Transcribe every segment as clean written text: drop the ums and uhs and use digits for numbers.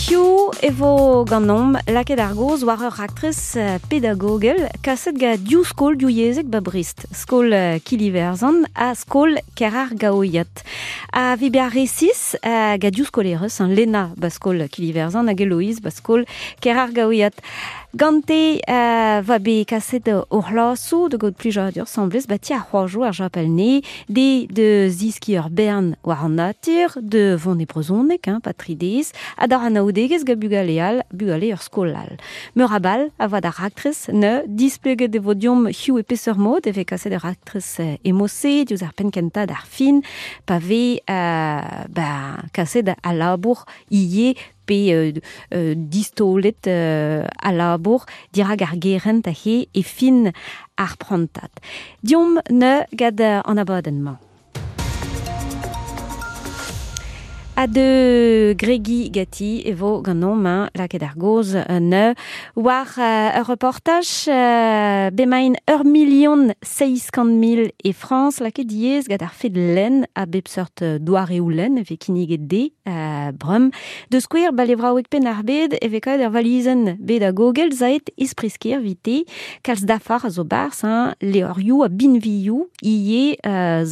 Hiziv e vo ganeomp lakaet ar gaoz war ur raktres pedagogel kaset gant div skol divyezhek ba Brest, skol Kiliverzan ha skol Kerargaoiat. Ha evit bezañ resis, gant div skolerez, Lena ba skol Kiliverzan hag Eloïse ba skol Kerargaoiat. Gante va bet kaset o c'hlasoù da gaout plijadur 'sambles ba ti ar c'hoajoù ar Japel-Nez, de da zeskiñ ur bern war an natur, da vont e brezhoneg, hein, pa tri dez, ha d'ar anaoudegezh gant bugale all, bugale ur skol all. Meur a bal a voa d'ar raktres ne displeget e vo deomp hiziv e peseurt mod e vez kaset ar raktres e mod-se diouzh ar penn-kentañ d'ar fin, pa vez ba, kaset al labour ivez pe distaolet al labour dirak ar gerent aze e fin ar prantad. Deomp neuze gant an abadenn-mañ. Ha de gregiñ ganti e vo ganeomp hein, lakaet ar gaoz neuze war ur reportaj bemaint 1 700 000 e Frañs lakaet diaes gant ar fed lenn a bep seurt doareoù lenn e vez kinniget dezhe bremañ. Da skouer ba levraoueg Penn-ar-Bed e vez kavet ur valizenn bedagogel saet ispresker evite kalz dafar a zo 'barzh hein, levrioù ha binvioù ivez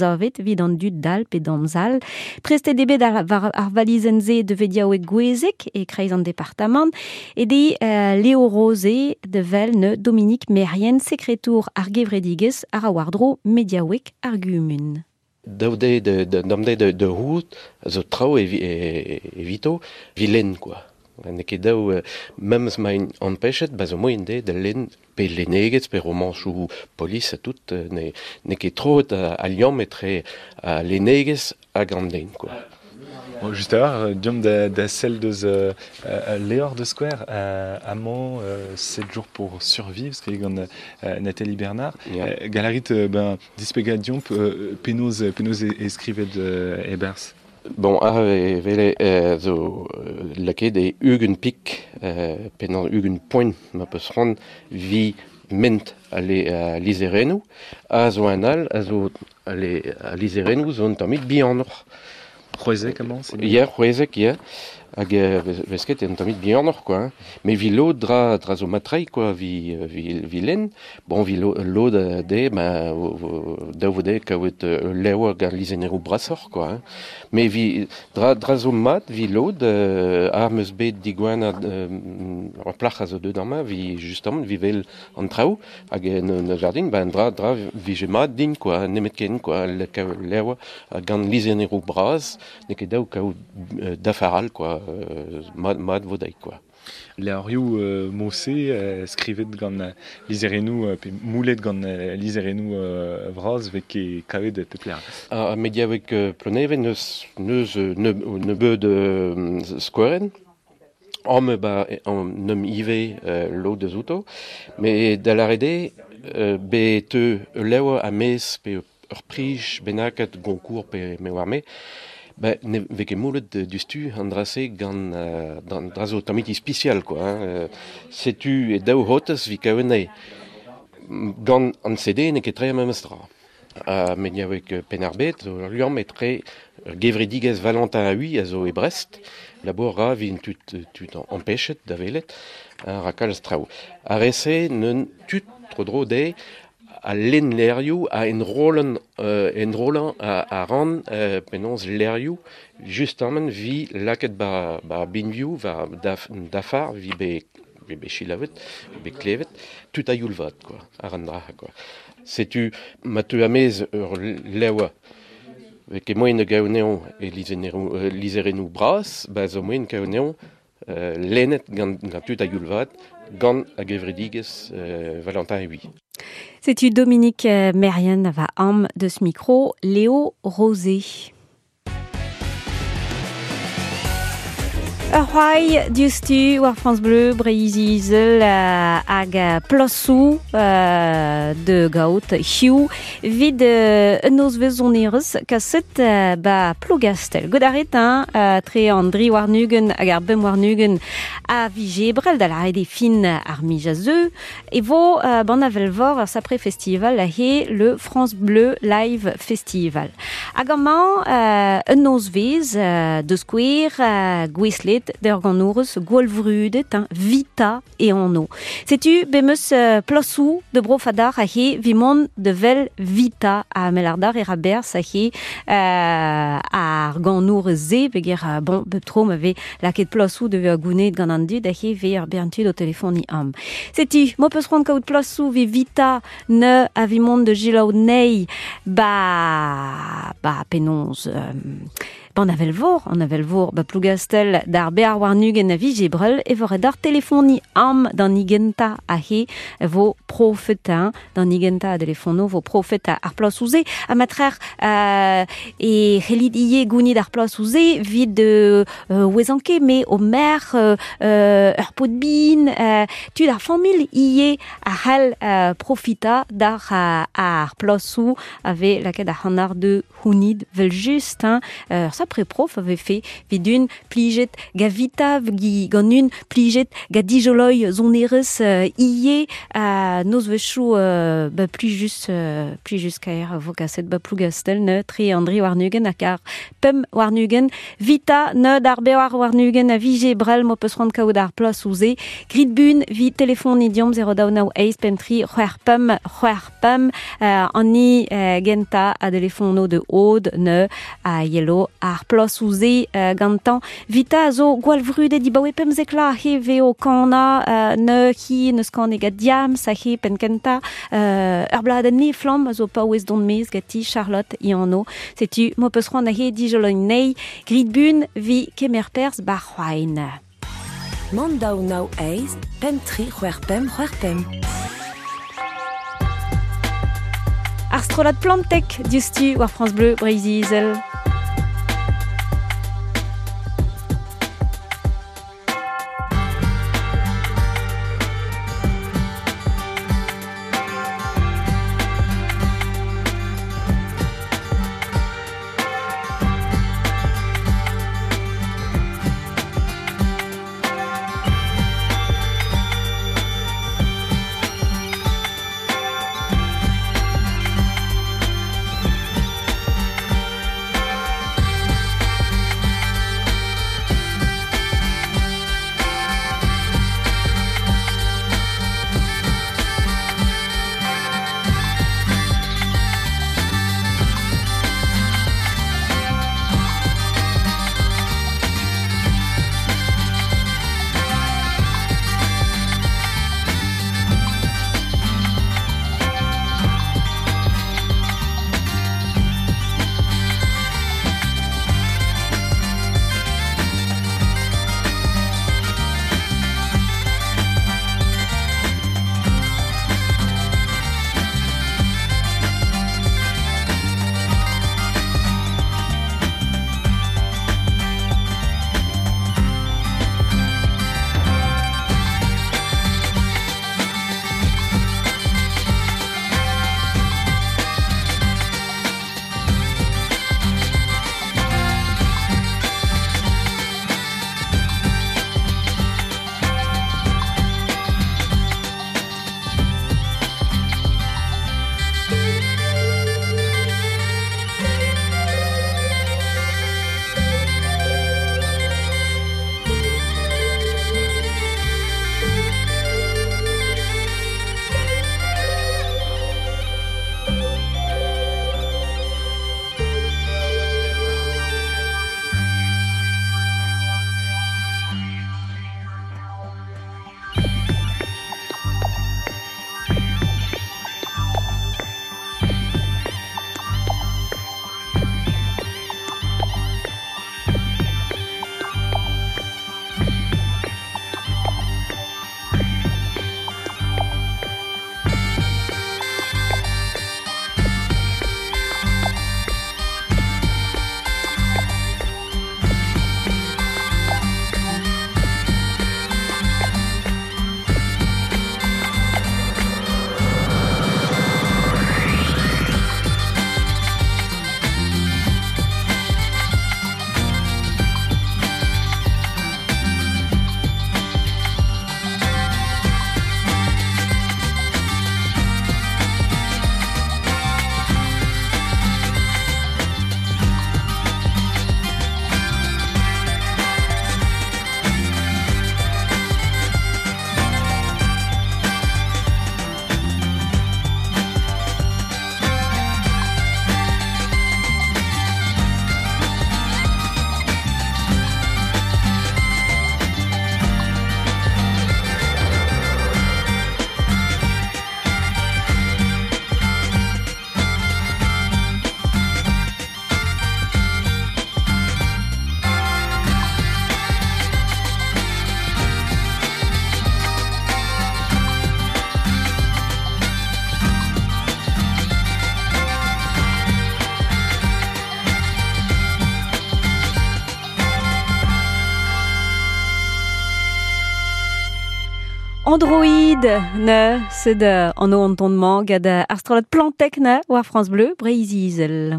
savet evit an dud dall pe damzall. Prestet eo bet war ar valizenn-se da vediaoueg Gouezeg e-kreiz an departamant e de Léo Rosé da wel ne Dominique Merrien, sekretour ar gevredigezh a ra war-dro mediaoueg ar gumun. Daou de dam de de rout zo traoù evito vi lenn quoi. N'eo ket daou memes ma int ampechet, ba zo moaien dezhe da lenn pe lennegezh pe romanchoù polis ha tout, n'eo ket troet al liamm etre al lennegezh hag an den quoi. Bon, just a-walc'h, deomp da sell deus levr de skouer amañ 7 jours pour survivre, skrivet gant Nathalie Bernard. Yeah. Gall a rit ben, displegañ deomp penaos e skrivet e-barzh? Bon, ah, vele zo lakaet e 20 pik, penaos 20 poent ma peus c'hoant vi ment al lizherennoù, a zo un all a zo al lizherennoù zo un tammig bihanoc'h. 16 amañ? Ya, 16, ya. Hag vez ket un tammig bihanoc'h quoi. Hein. Mais vi lod dra zo mat-tre quoi, vi lenn. Bon, vi lod de, ben, daou vo dezhe kaout ul levr gant lizherennoù brasoc'h quoi. Hein. Mais vi dra zo mat, vi lod, ar meus bet digouenat ur plac'h a zo deuet amañ, vi justement, vi vel an traoù, hag en jardin, ben dra vije mat din quoi, nemetken quoi, kaout levr gant lizherennoù bras, n'eo ket dav kaout dafar all quoi, mat vo dezhi quoi. Levrioù mod-se skrivet gant lizherennoù pe moulet gant lizherennoù vras vez ket kavet e pep lec'h. Ar mediaoueg Ploneven neus nebeud skouerenn. Amañ ba neum ivez lod eus outo. Met da lâret eo bet teu ul levr a-maez pe ur prij bennaket Goncourt pe me oar me, ben ne vez ket moulet diouzhtu an dra-se gant an dra zo tammig ispisial quoi. Hein. Setu e daou c'hotez 'vit kaout anezhe. Gant an CD n'eo ket tre memes tra. Ha mediaoueg Penn-ar-Bed zo ur liamm etre ur gevredigezh Valentin Haüy a zo e Brest. Labour ra evit tud ampechet da welet, ra kalz traoù. Ar re-se neun tud tro-dro dezhe a lenn levrioù, a enrollan enrollañ a ran penaos levrioù justement 'vit lakaet ba binvioù war dafar 'vit bet selaouet, bet klevet, tud a-youl vat quoi, àr an dra quoi. Setu ma teu a-maez ur levr vez ket moaien da gaout anezhañ e lizherennoù bras, ba zo moaien kaout anezhañ lennet gant tud a-youl vat gant ar gevredigezh Valentin Haüy. Setu Dominique Merrien va am deus mikro Léo Rosé. Ur c'hoari diouzhtu war France Bleu Breizh-Izel hag plasoù da gaout hiziv evit un nozvezh sonerezh kaset ba Plougastell. Goût a rit, hein, tre an dri warn-ugent hag ar bemp warn-ugent a viz Ebrel, da lâret eo fin ar miz a zeu, e vo ban Avel-Vor ur sapre festival aze, le France Bleu Live Festival. Hag amañ un nozvezh da skouer gouestlet plijet d'ur ganourez gwall vrudet, hein, Vita e anv. Setu bemeus plasou de brofadar a he vimon de vel Vita a melardar e rabers a he ar ganourez ze peger bon bep tro ma ve laket plasou de a gounet gant an dud a he ve ar bern tud o telefoni am. Setu, mo peus c'hoant kaout plasou ve Vita ne a vimon de jilaou nei ba penaos Ban an avel vor, ba Plougastel d'ar bear war nugen a vije brel e vor d'ar telefoni am d'an igenta a he vo profet, hein, d'an igenta a telefono vo profet ar plas ouze a matrer e c'hellit ie gounid ar plas ouze vid ouezanke me o mer ur pot bin tud ar famil ie a c'hell profita d'ar ar plasou ave laket ar c'hanar de hounid vel just, hein, sapre prof avait fait vidun plijet gavita gi ganun plijet ga dijoloi zonerez ie noz vechou ba plus just kaer vo kaset ba Plougastel ne tri Andri warnugen a kar pem warnugen Vita ne d'ar bewar warnugen a vije brel mo peus c'hoant kaout ar plas ouze grit bun vi telefon idiom 0 daou nao eiz pem tri c'hwec'h pem c'hwec'h pem anni genta a telefono de od ne a yelo ar plas ouze gantan. Vita a zo gwall vrudet di baoe pemzekla he veo kana ne hi neus kane gant diam sa he pen kenta ur bladenn ne flamm a zo paouez don mez gati Charlotte ianno. Setu mo peus c'hoant a he dijoloin nei grit bun vi kemer perz bar c'hoain. Mand daou nao eiz, pem tri c'hwec'h pem c'hwec'h pem. Ar strollad Plantek diouzhtu war France Bleu Breizh-Izel. Android ne sed an o an ton-mañ gant ar strollad Plantek ne war France Bleu Breizh-Izel.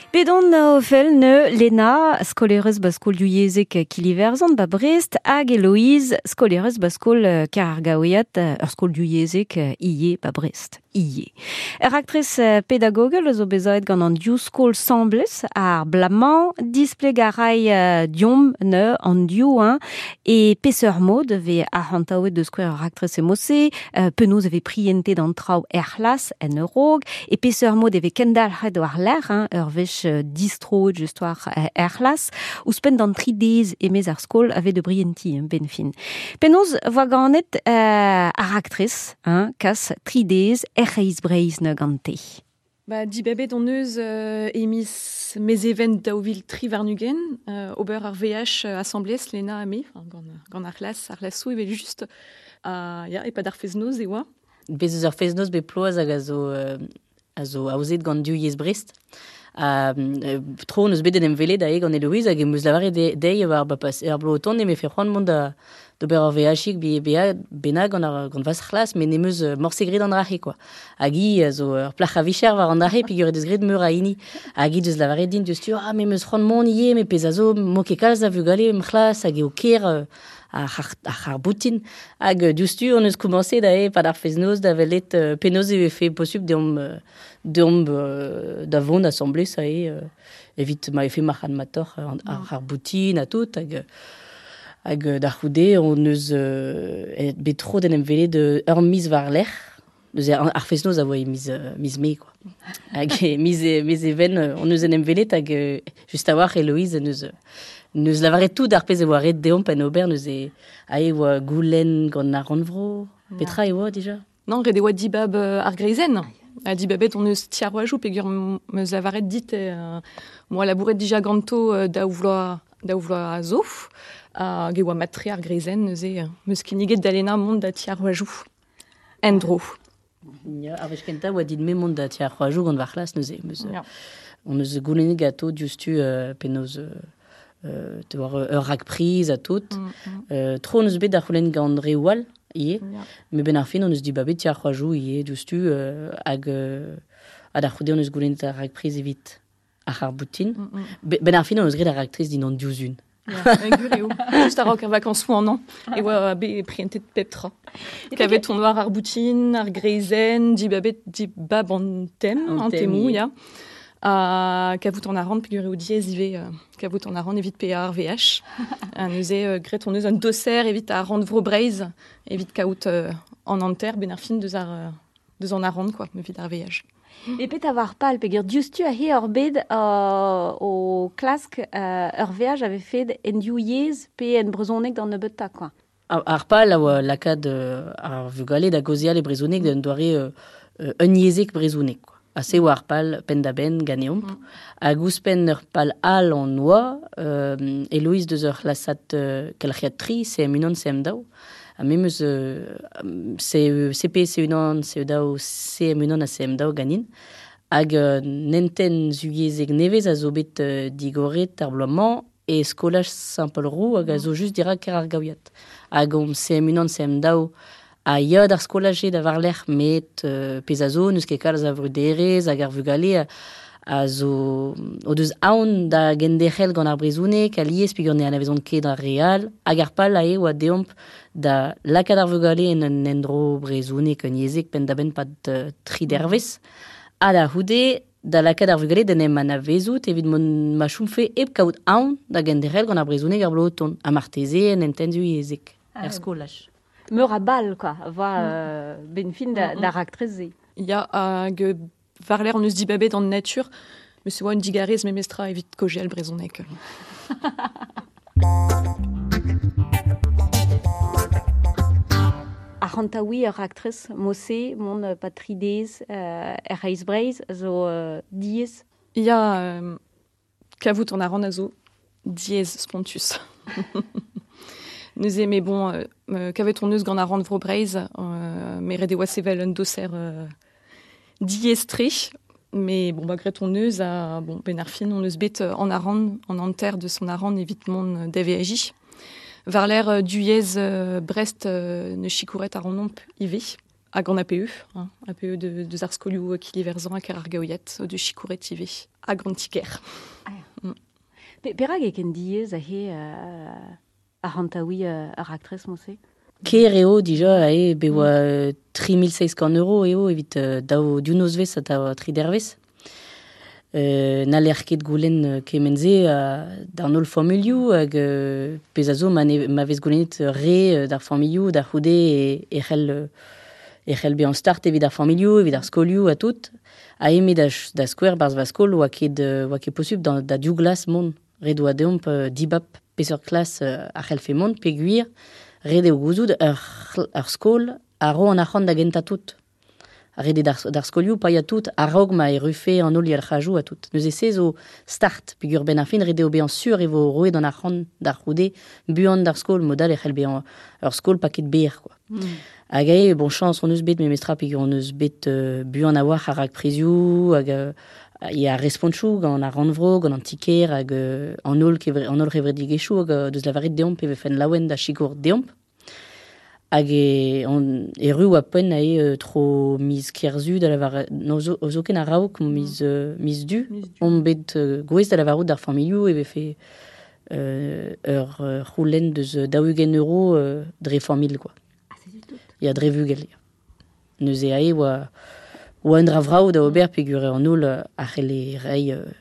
Bet on o fel ne Lena, skolerez ba skol diouyezek Kiliverzan ba Brest, hag Eloïse, skolerez ba skol Kargaouiat, ur skol diouyezek ie ba Brest. Ie. Ur aktres pedagogel zo bezaet gant an div skol semblez ar blamañ displeg a ray diom ne an div hein, e peseurt mod ve arc'hantaouet deus skouer ur aktres emose, penaos e vez priente d'an traoù er c'hlas en Eurog, e peseurt mod e vez kendalc'het war l'air, hein, ur wech distroet just war er c'hlas, ouzhpenn d'an tri dez emez ar skol ave de brienti, hein, ben fin. Penaos voa ganet ar aktres, hein, kas tri dez er c'hreiz Breizh ne gante. Ba, dibabet on eus emiz mezeven daouvil tri warn-ugent, ober ar VH assemblez Lena ha me, enfin, gant ar c'hlas, ar c'hlasou evel just, ya, e-pad ar fest-noz e oa. Bez eus ar fest-noz bet ploaz hag a zo aozet gant div yezh Brest. Ha tro hon eus bet en em welet aze gant Eloïse hag em eus lavaret dezhi war ba pas er bloaz o tont e me fe c'hoant mont da d'ober ur veachig bennak gant ar gant vas c'hlas, met n'em eus morse graet an dra-se, quoi. Hag hi a zo ur plac'h a vicher war an dra-se, peogwir he deus graet meur a hini. Hag hi deus lavaret din diouzhtu, ah, me 'm eus c'hoant mont ivez, met pezh a zo, m'o ket kalz a vugale em c'hlas, hag eo ker ar c'harr-boutin. Hag diouzhtu hon eus komañset aze e-pad ar fest-noz da welet penaos e vefe posupl deomp da vont asambles aze evit ma vefe marc'hadmatoc'h ar c'harr-boutin ha tout. Hag da c'houde hon eus bet tro d'en em welet ur miz war-lerc'h. Neuze ar fest-noz a oa e miz Mae, quoi. Hag e miz Even hon eus en em welet hag just a-walc'h Eloïse en deus lavaret tout ar pezh e oa ret deomp en ober neuze aze e oa goulenn gant ar rannvro. Petra e oa dija? Non, ret e oa dibab ar greizenn. Ha dibabet hon eus ti ar roajoù peogwir 'm eus lavaret dit moa labouret dija ganto daou vloaz zo. Hag e oa mat-tre ar greizenn neuze 'm eus kinniget da Lena mont da ti ar roajoù en-dro. Ya, ar wech kentañ oa dit-me mont da ti ar c'hoajoù gant va c'hlas neuze. On eus goulennet ganto diouzhtu penaos te war ur rakpriz ha tout. Tro hon eus bet da c'houlenn gant reoù all ivez. Met benn ar fin hon eus dibabet ti ar c'hoajoù ivez diouzhtu hag ha da c'houde hon eus goulennet ar rakpriz evit ar c'harr-boutin. Benn ar fin hon eus graet ar raktres dindan diouzh un. Ya, gwir eo. Just a-raok ar vakañsoù an hañv e oa bet prientet pep tra. Kavet on war ar boutin, ar greizenn, dibabet dibab an tem, an temoù, ya. Ha kavout an arc'hant peogwir eo diaes ivez kavout an arc'hant evit paeañ ar veaj. Ha neuze graet hon eus un doser evit ar rannvro Breizh evit kaout an hanter benn ar fin deus ar deus an arc'hant quoi, evit ar veaj. E petra war pal peogwir diouzhtu aze ur bed o klask ur veaj a vefe en div yezh pe en brezhoneg d'an nebeutañ quoi. Ar pal a oa lakaat ar vugale da gaozeal e brezhoneg d'un doare unyezhek brezhoneg quoi. Ha se oa ar pal penn-da-benn ganeomp. Hag ouzhpenn ur pal all hon oa, Eloïse deus ur c'hlasad kelc'hiad tri, CM1, CM2. Ha me 'm eus CP, C1, CE2, CM1 ha CM2 ganin. Hag un hentenn zuyezhek nevez a zo bet digoret ar bloaz-mañ e skolaj Saint-Paul-Roux hag a zo just dirak kêr ar Gaouiad. Hag omp CM1, CM2 a ya d'ar skolaj-se da war-lerc'h, met pezh a zo, n'eus ket kalz a vruderezh hag ar vugale a zo o deus aon da genderc'hel gant ar brezhoneg alies peogwir ne anavezont ket ar re all hag ar pal aze oa deomp da lakaat ar vugale en un endro brezhoneg un yezhek penn-da-benn pad tri dervezh ha da c'houde da lakaat ar vugale d'en em anavezout evit ma chomfe hep kaout aon da genderc'hel gant ar brezhoneg ar bloaz o tont ha marteze en hentenn yezhek er skolaj. Meur a bal quoi, va ben fin da raktres-se. Ya, hag war-lerc'h hon eus dibabet an natur, met se oa un digarez memestra evit kaozeal brezhoneg. Arc'hantaouiñ ur raktres mod-se, mont pa tri dez er C'hreiz Breizh zo diaes. Ya, kavout an arc'hant a zo diaes spontus. Neuze, mais bon, kavet hon eus gant ar rannvro Breizh, met ret e oa sevel un doser diaes-tre. Mais bon, bah, gret on eus a, bon, ben ar fin, on eus bet an aran, an anter de son aran evit mont d'AVAJ. Var l'air du Brest ne chikouret ar anomp ive, hag an APE, hein, APE de Zarskolioù Kiliverzan hag ar Gaoiat, de chikouret ive, hag an tiker. Ah, mm. Perag e ken diez a he ar hantaoui ar aktres monse? Ker eo dija e be oa 3600 euro eo evit daou diou nozvez ha da tri dervez. N'haller ket goulenn kement-se d'an holl familhoù hag pezh a zo ma, ne, ma vez goulennet re d'ar familhoù d'ar c'houde e c'hell e c'hell bezañ start evit ar familhoù, evit ar skolioù ha tout. Ha eme da skouer barzh va skol oa ket posubl da div glas mont. Ret oa deomp dibab peseurt klas a c'hellfe mont peogwir ret eo gouzout ur skol a ro an arc'hant da gentañ tout. Ret eo d'ar skolioù paeañ tout a-raok ma errufe an holl yalc'hajoù ha tout. Neuze se zo start peogwir benn ar fin ret eo bezañ sur e vo roet an arc'hant d'ar c'houde buan d'ar skol mod-all e c'hell bezañ ur skol paket berr quoi. Hag eo, bon chañs hon eus bet memestra peogwir hon eus bet buan a-walc'h ar rakprizioù hag ya respontchoù gant ar rannvro, gant an ti-kêr hag an holl an holl c'hevredigezhioù hag deus lavaret deomp e vefen laouen da sikour deomp. Hag e on erru oa poent ae tro miz Kerzu da lavaret no zo zoken a-raok miz miz Du on bet gouest da lavarout d'ar familhoù e vefe ur c'houlenn deus 40 euro dre familh quoi. Ya dre vugel ya. Neuze ae oa un dra vrav da ober peogwir an holl a c'helle reiñ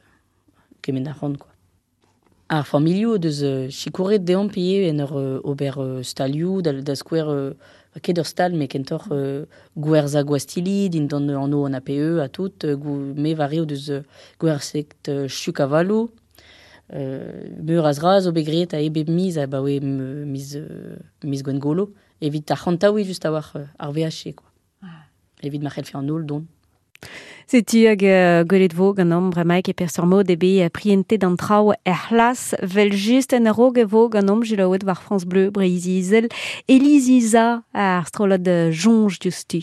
kement arc'hant quoi. Ar familhoù deus sikouret deomp ivez en ur ober stalioù da skouer ket ur stal met kentoc'h gwerzhañ gwastilli dindan anv an APE ha tout me war eo deus gwerzhet chuk-avaloù meur a zra zo bet graet a bep miz abaoe miz Gwengolo evit ar c'hantaouiñ just a-walc'h ar VHC quoi. Evit ma c'hellfe an holl dont. Setu hag gwelet vo ganeomp bremaik e peseurt mod eo bet prientet an traoù er c'hlas vel just en a-raok e vo ganeomp selaouet war France Bleu Breizh-Izel Élise ar strollad Soñj diouzhtu.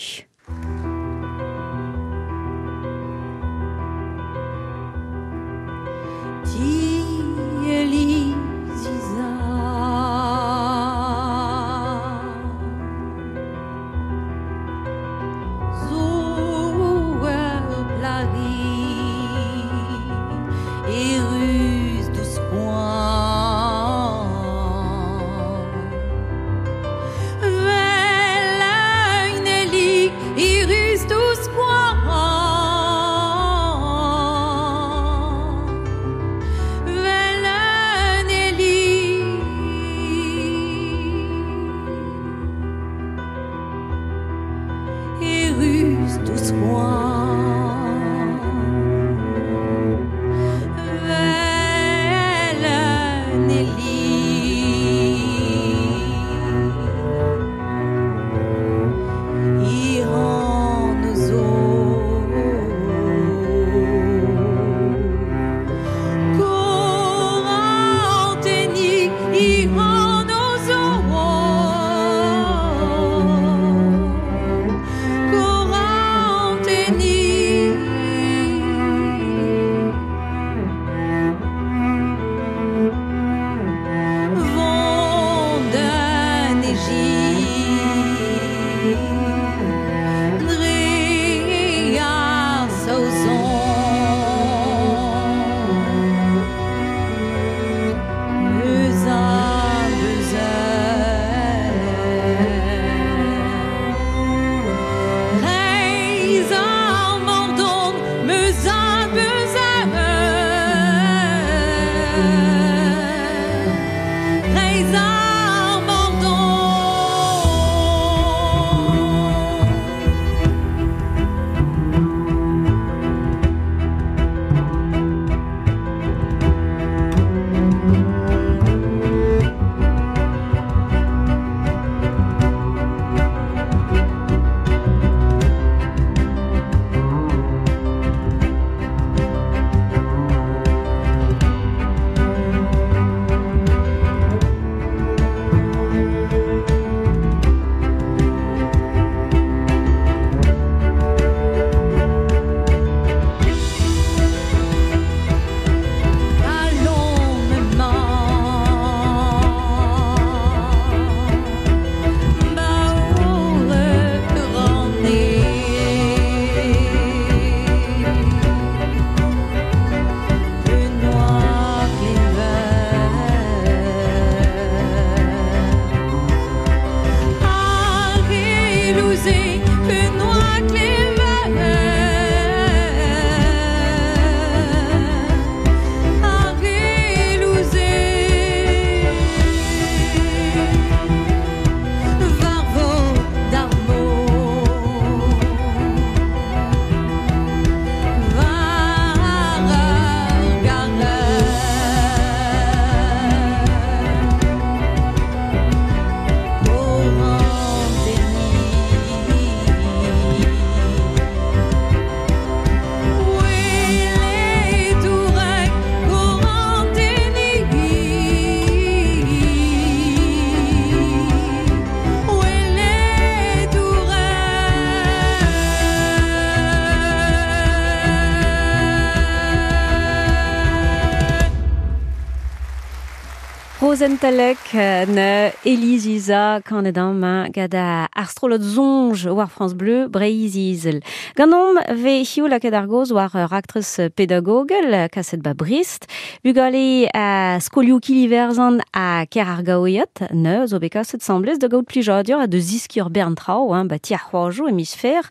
Rozenn Talec na Elise Isa kanet amañ gant ar strollad Soñj war France Bleu Breizh-Izel. Ganeomp 'vez hiziv lakaet ar gaoz war ur raktres pedagogel kaset 'ba Brest. Bugale a skolioù Kiliverzan ha Kêr-ar-Gaouiad neuze zo bet kaset 'sambles da gaout plijadur ha da zeskiñ ur bern traoù hein, 'ba ti ar c'hoajoù e miz Fer.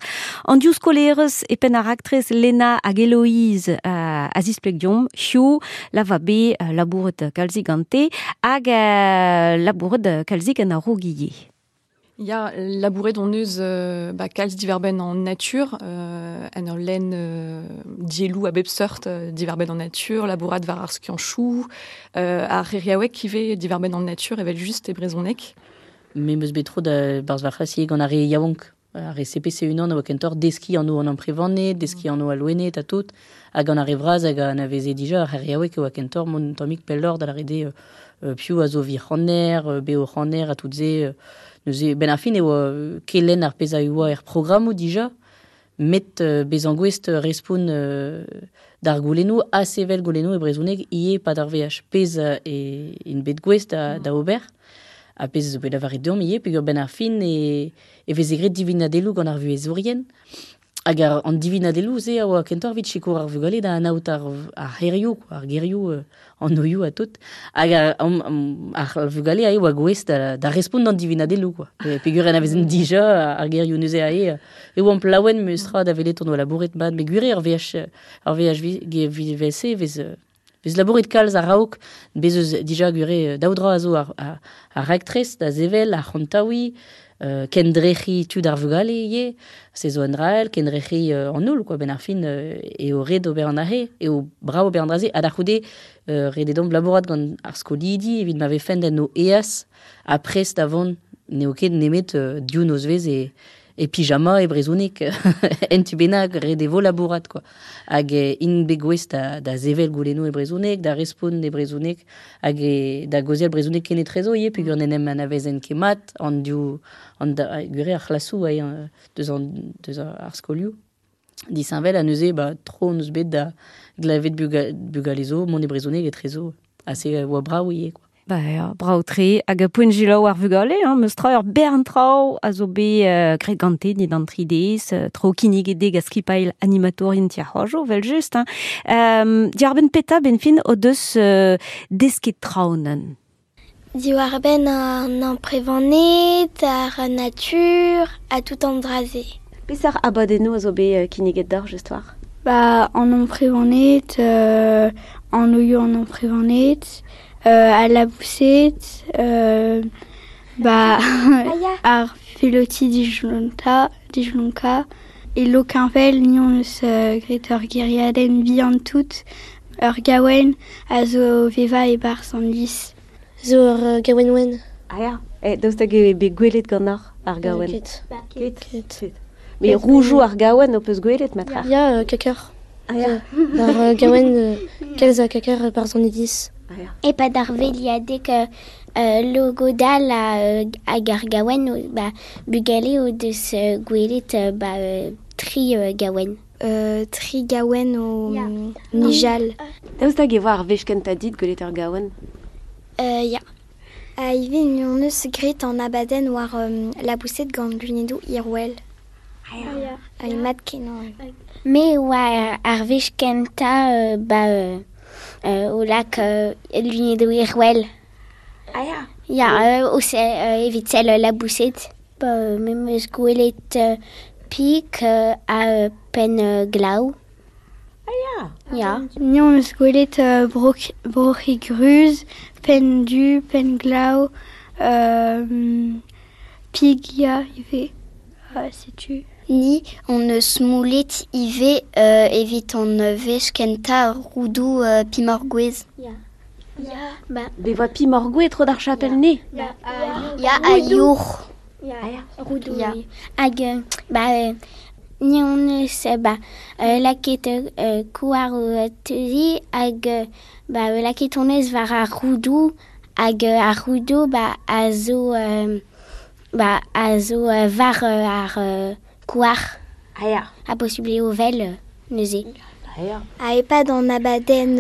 An div skolerez e penn ar raktres Lena hag Eloïse a zispleg deomp hiziv la va bet labouret kalzik gante hag labouret kalzik en a-raok ivez. Ya, labouret hon eus ba kalz diwar-benn an natur, en ur lenn dielloù a bep seurt diwar-benn an natur, labourat war ar skianchoù, ar c'heriaoueg ivez diwar-benn an natur evel-just e brezhoneg. Me 'm eus bet tro da barzh va c'hlas ivez gant ar re yaouank. Ar re CPC unan a oa kentoc'h deskiñ anv an amprevaned, deskiñ anv al loened ha tout. Ha gant ar re vras hag a anaveze dija ar c'heriaoueg e oa kentoc'h mont un tammig pelloc'h da lâret eo piv a zo vic'haner, beoc'haner ha tout se. Neuze, benn ar fin e oa kelenn ar pezh a oa er programmoù dija, met bezañ gouest respont d'ar goulennoù ha sevel goulennoù e brezhoneg ivez e-pad ar veaj. Pezh int bet gouest da ober. Ha pezh zo bet lavaret deomp ivez, peogwir benn ar fin e, e veze graet divinadelloù gant ar vuhezourien. Hag ar, an divinadelloù-se a oa kentoc'h evit sikour ar vugale da anaout ar, ar c'hêrioù, ar gerioù, an oioù ha tout. Hag ar, ar vugale a oa gouest da, da respont d'an divinadelloù, quoi. Peogwir anavezent dija ar gerioù neuze aze, e oamp laouen memes tra da welet hon oa labouret mat. Met gwir eo ar veaj, ar veaj vel-se e vez Vez labouret kalz a-raok, bez eus dija gwir eo daou dra a zo ar, ar, ar raktres da sevel, ar c'hontaouiñ, kendrec'hiñ tud ar vugale ivez, se zo un dra all, kendrec'hiñ an holl, quoi, benn ar fin eo ret ober an dra-se, eo brav ober an dra-se, ha da c'houde ret eo deomp labourat gant ar skolidi evit ma vefent en o eas ha prest da vont, n'eo ket nemet div nozvezh e e pyjama e brezhoneg en tu bennak ret e vo labourat quoi. Hag int bet gouest da, da sevel goulennoù e brezhoneg, da respont e brezhoneg hag e, da gaozeal brezhoneg kenetrezo ivez peogwir n'en em anavezent ket mat an div an da, gwir eo ar c'hlasoù eo deus an deus ar skolioù disheñvel ha neuze ba tro hon eus bet da glevet buga, bugale zo mont e brezhoneg etrezo ha se oa brav ivez quoi. Ba ya, brav-tre. Hag poent selaou ar vugale, hein, meus tra ur bern traoù a zo bet graet gante dindan an tri dez, tro kinniget dezhe gant skipailh animatourien ti ar c'hoajoù, evel-just. Hein. Diarbenn petra benn fin o deus desket traoù neuze? Diwar-benn an amprevaned, ar natur ha tout an dra-se. Peseurt abadennoù a zo bet kinniget deoc'h just war? Ba, an amprevaned, an oioù an amprevaned, al laboused, ba ar veloti dijlonta, dijlonka. E Lokenvel, ni hon eus graet ur gêriadenn bihan tout, ur gaouenn a zo o vevañ e-barzh an iliz. Zo ur gaouenn wenn. Ah ya, eh, daoust hag eo bet gwelet ganeoc'h ar gaouenn? Ket. Ket. Ket. Mais roujoù ar gaouenn ho peus gwelet, matra? Ya, kaker. Ah ya. Ar gaouenn, kalz a kaker e-barzh an iliz. Ah ya. E-pad ar veilhadeg logodal hag ar gaouenn, ba, bugale o deus gwelet ba, tri gaouenn. Tri gaouenn o nijal. Daoust hag e oa ar wech kentañ dit gwelet ur gaouenn? Ya. Ha ivez ni hon eus graet an abadenn war laboused gant lunedoù hirwel. Ah ya. Mat kenañ. Me oa ar wech kentañ ba o lak lunedoù hirwel. Ah ya. Ya, o evit sell laboused. Ba, me 'm eus gwelet pik ha penn glav. Ah ya. Ya. Ni hon eus gwelet broc'hig ruz, penn du, penn glav, pig ya ivez. Setu. Ni hon eus moulet ivez evit hon wech kentañ roudoù pimoc'h-gouez. Ya. Ya. Ba. Bet 'voa pimoc'h-gouez tro d'ar chapel-ne? Ya. Ya, ha yourc'h. Ya. Roudoù. Ya. Hag ba ni hon eus ba lakaet kouar o teuziñ hag ba lakaet hon eus war ar roudoù hag ar roudoù ba a zo ba a zo war ar kouar. Ah ya. Ha posubl eo vel neuze. Ya. Ha epad an abadenn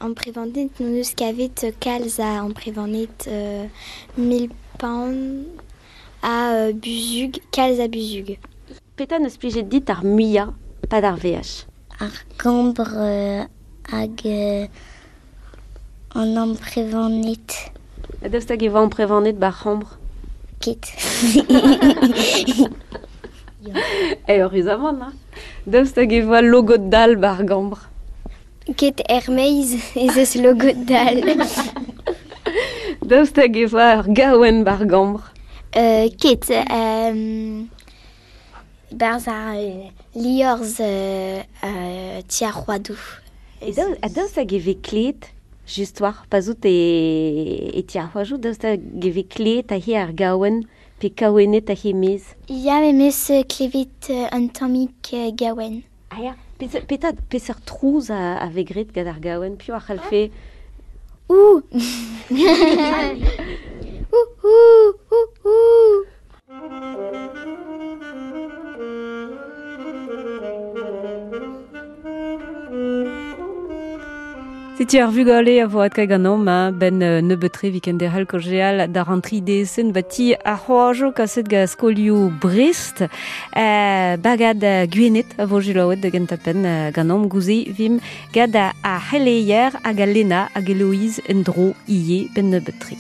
amprevaned n'hon eus kavet kalz a amprevaned mil-paon ha buzhug, kalz a buzhug. Petra n'eus plijet dit ar muiañ pad ar veaj? Ar gambr hag an amprevaned. Ha daoust hag e oa amprevaned ba'r c'hambr? Ket. Eüruzamant, hein. Daoust hag e oa logod dall ba'r gambr? Ket er-maez ez eus logod dall. Daoust hag e oa ur gaouenn ba'r gambr? Ket. Barzh ar liorzh ti ar c'hoadoù. Ha daoust hag e vez klevet, just war, pa 'z out e ti ar c'hoadoù, daoust hag e vez klevet aze ar gaouenn pe kaouennet aze e-maez? Ya, me 'm eus klevet un tammig gaouenn. Ah ya, petra, peseurt trouz a vez graet gant ar gaouenn? Piv a c'hallfe... Ouh Ouh, ouh, ouh, ouh. Setu ar vugale a vo adkaet ganeomp hein, benn nebeut-tre 'vit kenderc'hel kaozeal d'ar an tri dezenn ba ti ar c'hoajoù kaset gant skolioù Brest. Bagad Gwened a vo selaouet da gentañ-penn ganeomp gouze 'vimp gant ar c'heleier hag al Lena hag Eloïse en-dro ivez benn nebeut-tre.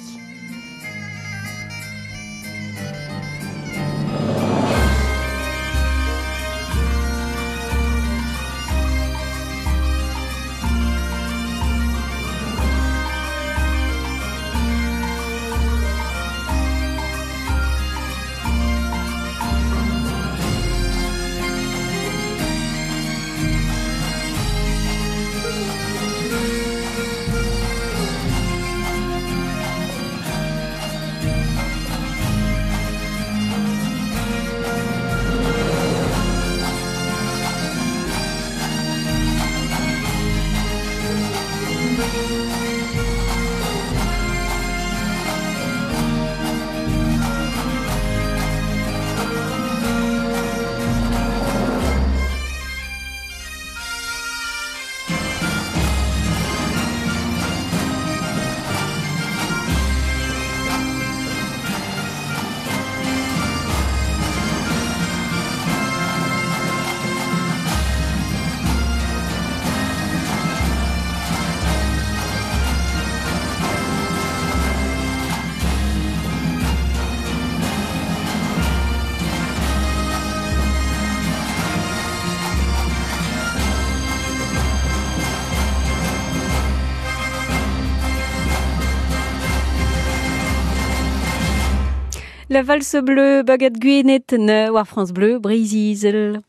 La valse bleue, bagad Gwened war France Bleu, Breizh-Izel.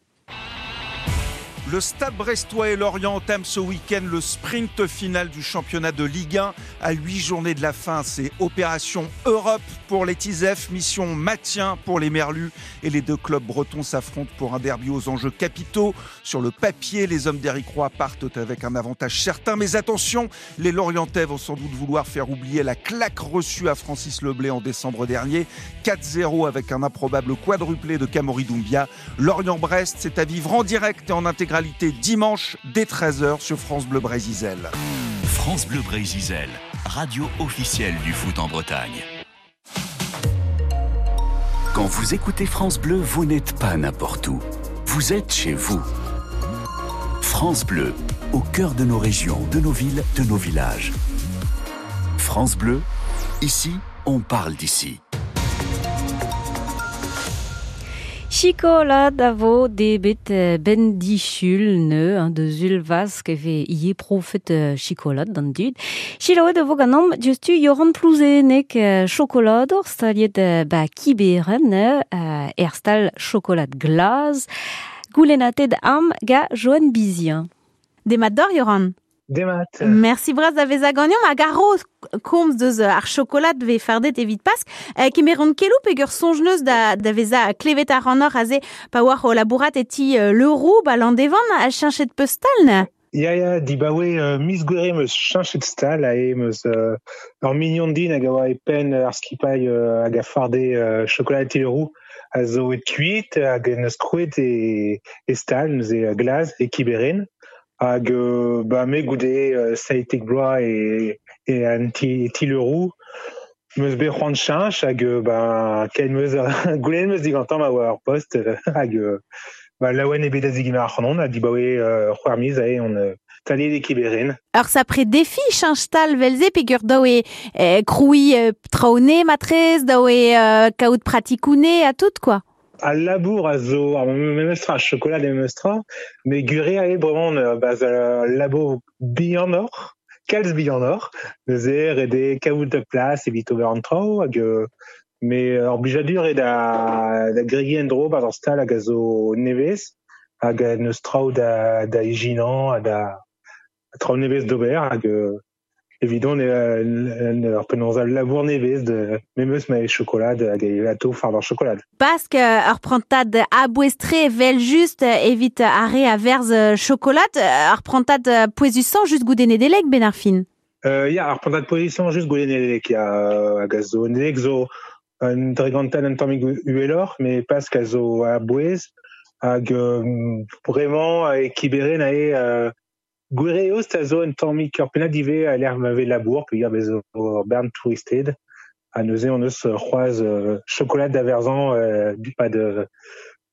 Le Stade Brestois et Lorient entament ce week-end le sprint final du championnat de Ligue 1. À 8 journées de la fin, c'est Opération Europe pour les Tisef, mission maintien pour les Merlus. Et les deux clubs bretons s'affrontent pour un derby aux enjeux capitaux. Sur le papier, les hommes d'Éric Roy partent avec un avantage certain. Mais attention, les Lorientais vont sans doute vouloir faire oublier la claque reçue à Francis Leblé en décembre dernier. 4-0 avec un improbable quadruplé de Kamori Doumbia. Lorient-Brest, c'est à vivre en direct et en intégralité dimanche dès 13h sur France Bleu Breizh-Izel. France Bleu Breizh-Izel, radio officielle du foot en Bretagne. Quand vous écoutez France Bleu, vous n'êtes pas n'importe où. Vous êtes chez vous. France Bleu, au cœur de nos régions, de nos villes, de nos villages. France Bleu, ici, on parle d'ici. Chikolad a vo debet ben disul neu, hein, deus ul vask e vez ivez profet chikolad d'an dud. Chilaouet a vo ganeomp diouzhtu Yoran Plouzenek chokolador staliet ba Kiberen er stal chokolad glas. Goulennatet am ga Joanne Bizien. Demat d'or, Yoran. Demat. Merci bras da vezañ ganeomp hag ar komz deus ar chokolad vez fardet evit Pask. Kemeront kelou peger soñj neus da vezañ klevet ar anor aze pa oar o labourat e ti Leroux ba Landevan a cheñchet peus stal ne? Ya, ya, dibaoe miz Gouere 'm eus cheñchet stal ha em eus ur mignon din hag a oa e penn ar skipailh hag a farde chokolad ti Leroux a zo e kuit hag en eus krouet e stal neuze glaz e Kiberen. Hag ba me goude 17 bloaz e an ti Leroux meus bet c'hoant cheñch hag ba ken meus goulennet meus digantañ ma oa ur post hag ba laouen eo bet da zegemer ac'hanon ha dibaoe c'hwec'h miz aze on taliet e Kiberen. Ur sapre defi cheñch stal vel-se peogwir dav eo krouiñ traoù ne matrez, dav eo kaout pratikoù ne ha tout quoi. Al labour a zo ar memes tra, chokolad e memes tra, met gwir eo bremañ ba al labour bihanoc'h, kalz bihanoc'h, neuze ret eo kaout da plas evit ober an traoù hag met ur blijadur eo da gregiñ en-dro 'barzh ar stal hag a zo nevez hag n'eus traoù da ijinañ ha da traoù nevez d'ober hag evidon ur penaos al labour nevez de memes ma e chokolad hag e atao fardañ chokolad. Pask ur prantad a-bouez-tre evel just evit ar re a verzh chokolad, ur prantad pouezusañ just goude Nedeleg ben ar fin. Ya, ar prantad pouezusañ just goude Nedeleg, ya, hag a zo Nedeleg zo un dregantad un tammig uheloc'h, met Pask a zo a-bouez hag bremañ e Kiberen aze Gwir eo a zo un tammig ur pennad ivez a lec'h ma vez labour, peogwir bez zo ur bern touristed. Ha neuze on eus c'hoazh chokolad da verzañ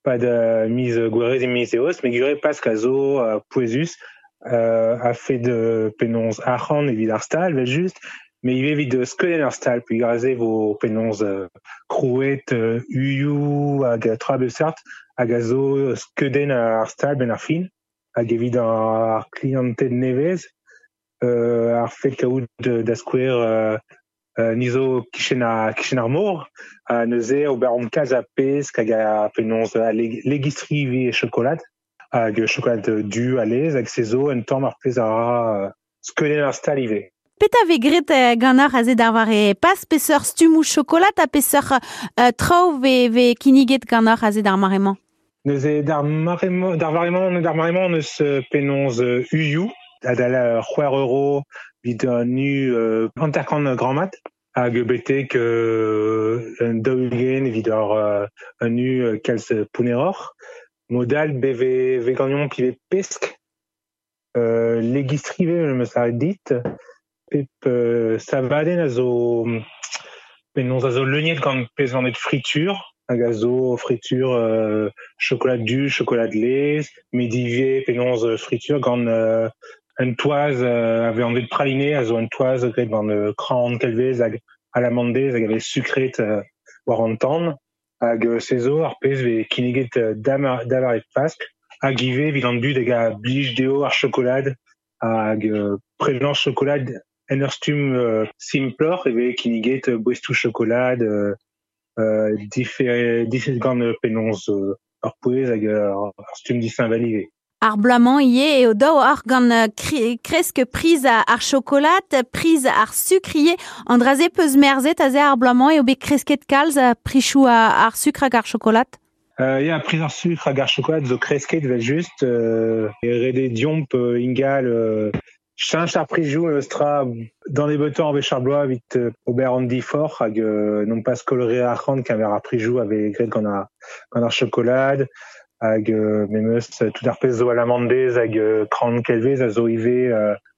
pad miz Gouerez e miz Eost, met gwir eo Pask a zo pouezus a-fed penaos arc'hant evit ar stal, evel-just, met ivez evit skeudenn ar stal, peogwir aze vo penaos krouet uioù hag tra a bep seurt hag a zo skeudenn ar stal benn ar fin. Hag evit ar kliented nevez, ar fed kaout da skouer ni zo kichen ar mor, ha neuze ober omp kalz a pesk hag a penaos a legistri ivez e chokolad, hag chokolad du a lez, hag se zo un tamm ar pezh a ra skeudenn ar stal ivez. Petra vez graet ganeoc'h aze d'ar mare pas peseurt stummoù chokolad ha peseurt traoù vez kinniget ganeoc'h aze d'ar mare-mañ? Neuze d'ar mare-mañ neus penaos uioù adal c'hwec'h euro evit un u 50 grammat hag betek un 40 evit un u kalz pounneroc'h. Modal beve veganion pivet pesk legistri vez meus lâret dit pep savadenn a zo penaos a zo leuniet gant pezh vannet fritur hag a zo fritur chokolad du, chokolad laezh, met ivez penaos fritur gant un toaz a vez anvet praliné, a zo un toaz graet gant kran kelvez hag alamandez hag a vez sukret war an tan. Hag se zo ar pezh vez kinniget da e Pask hag ivez evit an dud hag a blij dezho ar chokolad hag prenañ chokolad en ur stumm simploc'h e vez kinniget boestoù chokolad diffet gant penaos ur pouez hag ur stumm disheñvel ivez. Ar bloaz-mañ ivez eo daou ar gant kresk priz ar chokolad, priz ar sukr ivez. An dra-se peus merzet aze ar bloaz-mañ eo bet kresket kalz prichoù ar sukr hag ar chokolad? Ya, priz ar sukr hag ar chokolad zo kresket evel-just. Ret eo deomp ingal cheñch ar prizioù eus tra d'an nebeutañ ar wech ar bloaz evit ober an diforc'h hag non pas koll re arc'hant keñver ar prizioù a vez graet gant ar chokolad hag memes tout ar pezh zo alamandez hag kran kelvez a zo ivez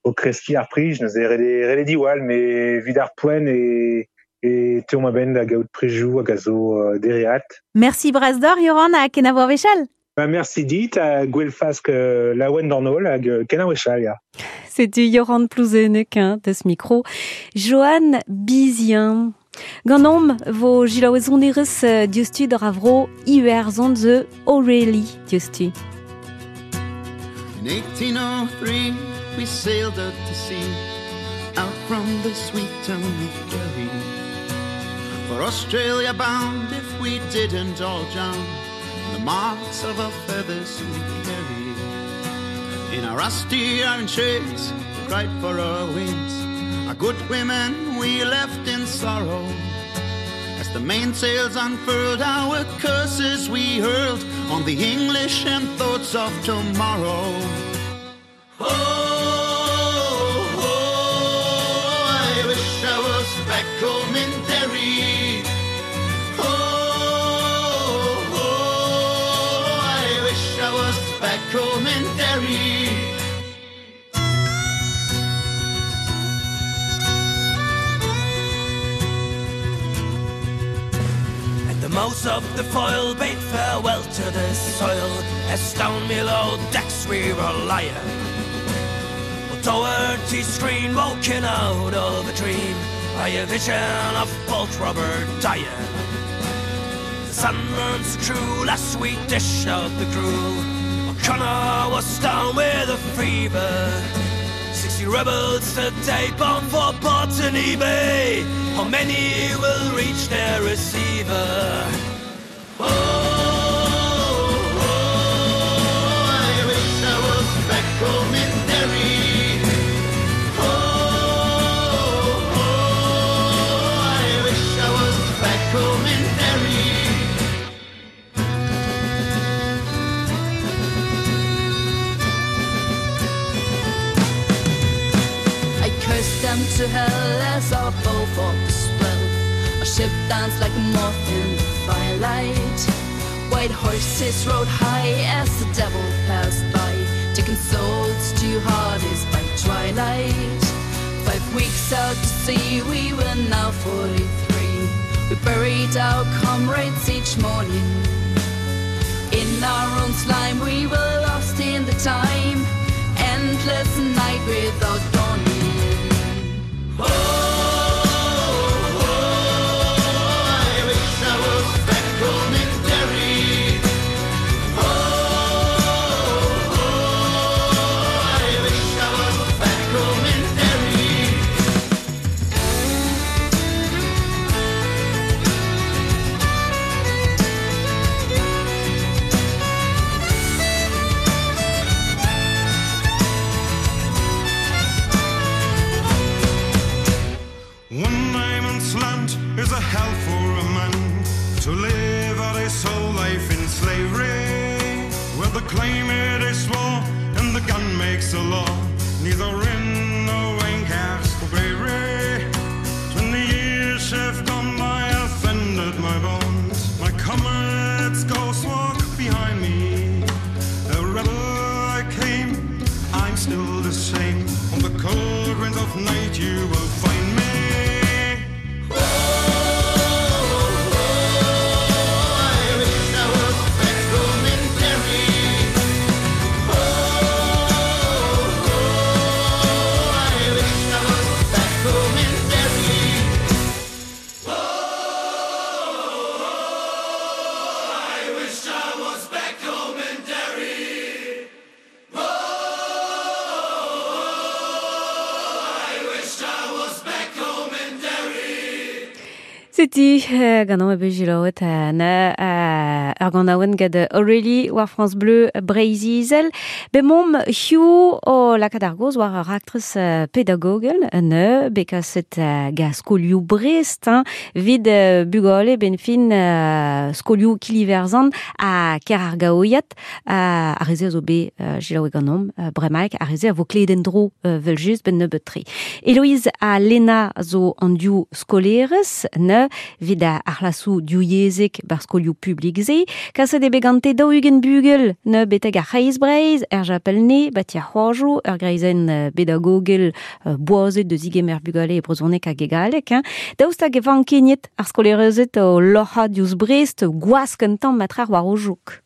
o kreskiñ ar priz neuze ret eo diwall met evit ar poent e teuomp a-benn da gaout prizioù hag a zo dereat. Merci bras deoc'h Yoran ha kenavo ar wech all. Ba merci dit ha gwell fask laouen d'an holl hag kenavo wech all, ya. Setu Yoran Plouzenec deus micro. Johan Bizien. Ganeomp vo jilaouezonerez diouzhtu d'ar avro Iwerzhon ze Aurélie diouzhtu. In 1803 we sailed out to sea, out from the sweet town of Derry. For Australia bound if we didn't all drown, the marks of our feathers we carry. In our rusty iron shades, we cried for our wings. Our good women we left in sorrow. As the mainsails unfurled, our curses we hurled on the English and thoughts of tomorrow. Oh, oh, I wish I was back home in Derry. Oh, oh, I wish I was back home in Derry. mouth of the foil bade farewell to the soil, as down below decks we were lying. Doherty screen woken out of a dream by a vision of Bolt Robert dying. The sun burns true last we dish out the gruel. O'Connor was down with a fever. 60 rebels today bound for Botany Bay. How many will reach their receiver? Oh, oh, I wish I was back home in Derry. Oh, oh, I wish I was back home in Derry. I cursed them to hell as our bow fought the swell. Our ship danced like a moth in the firelight. White horses rode high as the devil passed by, taking souls to Hades by twilight. 5 weeks out to sea, we were now 43. We buried our comrades each morning. In our own slime, we were lost in the time, endless night without dawning. Oh, oh, I wish I was back home in Derry. Oh, oh, I wish I was back home in Derry. One diamond slant is a hell for a man to live out his whole life in slavery, where the climate is war and the gun makes the law. Neither in nor rain cares for bravery. 20 years have gone by, offended my bones. My comrades ghosts walk behind me. A rebel I came, I'm still the same. On the cold winds of night you will find me. Oh, I wish I was back home in Derry. Oh, oh, I wish I was back home in Derry. Oh, I wish I was back home in Derry. Oh, I wish I was back home in Derry. Seti gant an ebe jilaouet na ar gant aouen gant Aurélie war France Bleu Breizh-Izel. Be mom hiu o lakaat ar goz war ar raktres pedagogel ne bekaset ga skolioù Brest hein, vid bugale ben fin skolioù Kiliverzan a ker ar gaoiat a reze a zo be jilaouet gant om bremaik a reze a vo kleden dro vel just ben nebeut tre. Héloïse a Lena zo an diou skolerez ne vid a arlasou diouyezek bar skolioù publik ze, kaset eo bet gante daou ugent bugel ne beteg ar c'hreiz Breizh, er japelne, bat ar c'hoajo, ur greizenn pedagogel boazet deus igemer bugale e brezhoneg hag e galleg, hein. Daoust hag e van keniet ar skolerezed o loc'ha diouzh Brest, gwask un tamm matrar war o jouk.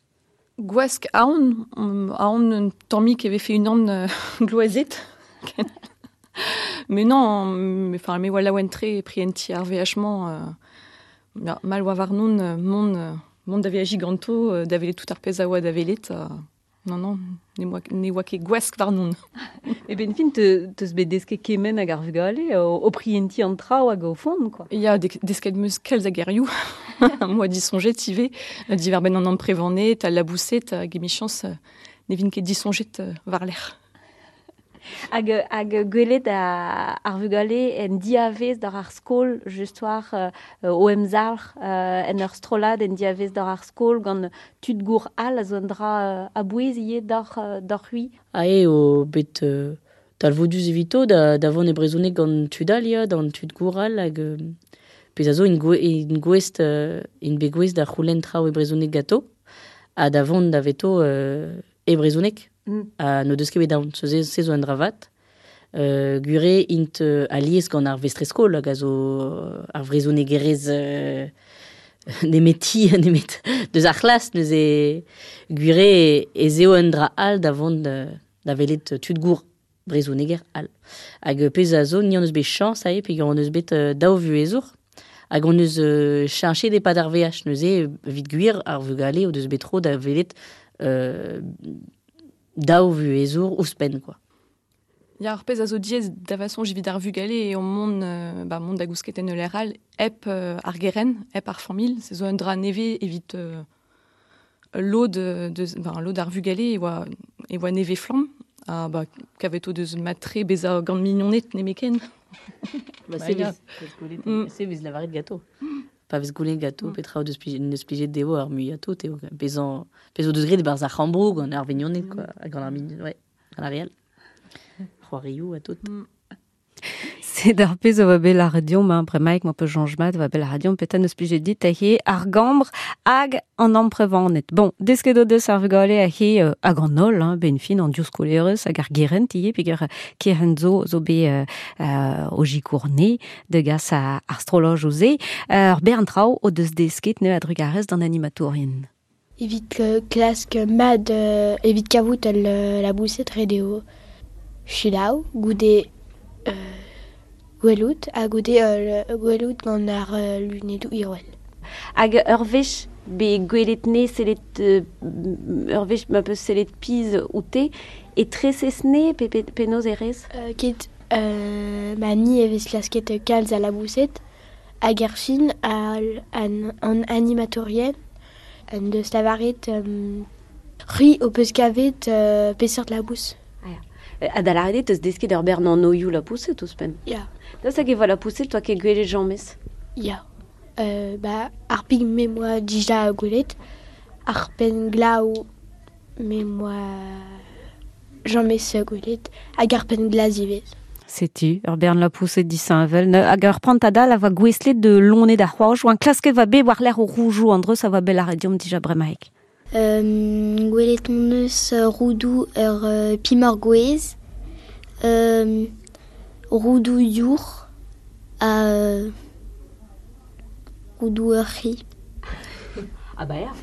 Gwask aon, aon un tammik e vefe unan gloazet. Mais non, mais, enfin, me oa laouen tre prienti ar VH-mañ, ya, mal oa warnon, mont da veaji ganto, da velet tout ar pezh a oa da velet, non, non, ne oa ket gwask warnon. E ben fin, teus bet desket kemen hag ar vugale, o prienti an traoù hag o fond, quoi. Ya, desket meus kalz a gerioù, moa disonjet ivez, diwar benn an amprevanet, al labouset, hag emichañs, ne vin ket disonjet war lec'h. Hag gwelet ar vugale en diavez d'ar ar skol, just war o emzalc'h en ur strollad en diavez d'ar ar skol gant tud gour all a zo an dra a bouez ivez d'ar c'hui. Ah eo bet talvoudus evito da vont e brezhoneg gant tud all ya, d'an tud gour all hag pezh a zo in gouest in bet gouest da c'houlenn traoù e brezhoneg gato ha da vont da veto e brezhoneg. A no deus ket bet daon, se zo an dravat. Gure int alies gant ar vestreskol hag a zo ar vrezhonegerez nemeti, nemet deus ar c'hlas neuze gwire ez eo un dra all da vont da welet tud gour brezhoneger all. Hag pezh a zo, ni hon eus bet chañs ae, peogwir hon eus bet daou vuhezour, hag hon eus cheñchet e-pad ar veaj neuze evit gwir ar vugale o deus bet tro da welet daou vuhezour ouzhpenn quoi. Ya, ar pezh a zo diaes da façon evit ar vugale eo mont, ba, mont da gousket en ul lec'h all hep ar gerent, hep ar familh. Se zo un dra nevez evit lod, deus, ben, lod ar vugale e oa nevez flamm. Ha ba, kavet o deus mat-tre bezañ gant mignoned nemetken. Ba, se vez, se vez lavaret ganto. Pa vez goulennet ganto petra o deus neus plijet dezho ar muiañ tout eo bezañ pezh o deus graet e-barzh ar c'hambroù gant ar vignoned quoi, gant ar mignon, ouais, gant ar re all. C'hoarioù ha tout. Sed ar pezh a oa bet lâret deomp, hein, bremaik ma peus soñj mat, a oa bet lâret deomp petra n'eus plijet dit he ar gambr hag an amprevaned. Bon, desket o deus ar vugale he hag an holl, hein, ben fin an div skolaerez hag ar gerent ivez, peogwir kerent zo zo bet o sikour-ne da gas ar strollojoù-se. Ur bern traoù o deus desket neuze a-drugarez d'an animatourien. Evit klask mat, evit kavout al laboused ret eo selaou goude gwelout ha goude gwelout gant ar lunedoù hirwel. Hag ur wech bet gwelet ne sellet ur wech ma peus sellet pizh oute e tresez ne pe penaos e rez? Ket ma ni e vez klasket kalz a laboused hag er fin an animatourien en deus lavaret c'hwi ho peus kavet peseurt labous. Ha da lâret eo teus desket ur bern anvioù lapoused ouzhpenn. Ya. Daoust hag e vo lapoused toa ket gwelet james? Ya. Ba, ar pig me 'moa dija gwelet, ar penn-glav me 'moa james gwelet, hag ar penn-glas ivez. Setu, ur bern lapoused disheñvel. Hag ur prantad all a voa gouestlet de loened ar c'hoajoù. An klasket va bet war-lerc'h o roujoù an dreuz a voa bet lâret deomp dija bremaik. Gwelet hon eus roudoù ur pimoc'h gouez, roudoù yourc'h ha roudoù ur c'hi. Ah bah ya.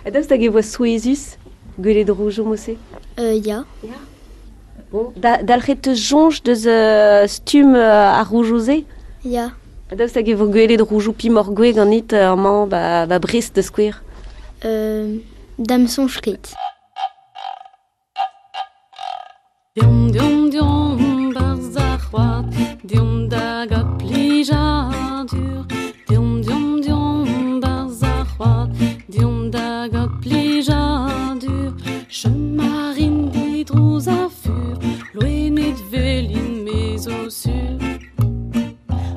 Ha daoust hag e voa souezhus gwelet roujoù mod-se? Ya. Ya. Bon, dalc'het teus soñj deus stumm ar roujoù-se? Ya. Ha daoust hag e vo gwelet roujoù pimoc'h gouez ganit amañ ba Brest da skouer? Da'm soñj ket. Deomp, deomp, deomp 'barzh ar c'hoad, deomp da gaout plijadur. Deomp, deomp, deomp 'barzh ar c'hoad, deomp da gaout plijadur. Chom a rin didrouz ha fur, loened velin me zo sur.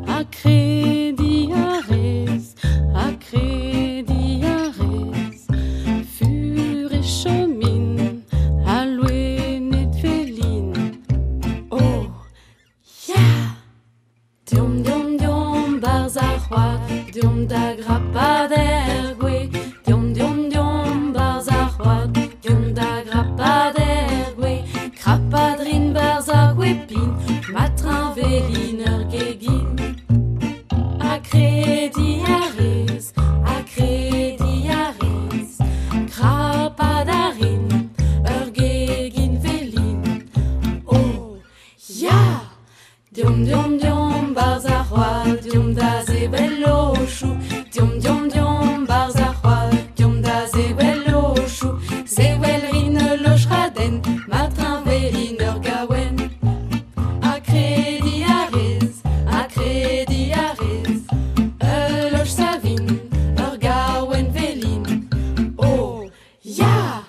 Ha krediñ a rez, ha krediñ a rez, fur e chomin, ha loened velin. Oh, ya! Deomp, deomp, deomp 'barzh ar c'hoad, deomp da grapat er gwez. Deomp, deomp, deomp 'barzh ar c'hoad, deomp da grapat er gwez. Krapat 'rin 'barzh ar gwez-pin, ma treñvelin ur gegin. Ha krediñ a rez, ha krediñ a rez, krapat a rin ur gegin velin. Oh, ya! Deomp, deomp, deomp 'barzh ar c'hoad, deomp da sevel lochoù. Deomp, deomp, deomp 'barzh ar c'hoad, deomp da sevel lochoù. Sevel 'rin ul loch-raden, ma treñvelin ur gaouenn. Ha krediñ a rez, ha krediñ a rez, ul loch savin, ur gaouenn velin. Oh, ya!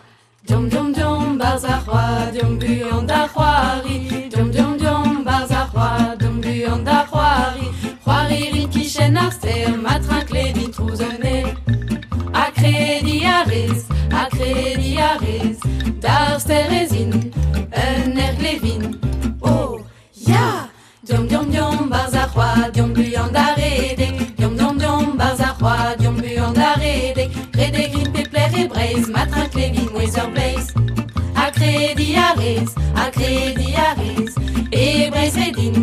Deomp, deomp, deomp 'barzh ar c'hoad, deomp buan da c'hoari. Deomp, deomp, deomp 'barzh ar c'hoad, deomp buan da c'hoari. C'hoari 'rin kichen ar stêr, ma trinkledin trouz un aer. Ha krediñ a rez, ha krediñ a rez, d'ar stêr ez in, un aer glevin. Oh, ya! Deomp, deomp, deomp 'barzh ar c'hoad, deomp buan da redek. Deomp, deomp, deomp 'barzh ar c'hoad, deomp buan da redek. Redek 'rin pep lec'h e Breizh, ma triñklevin mouezh ur bleiz. Ha krediñ a rez, ha krediñ a rez, e Breizh redin,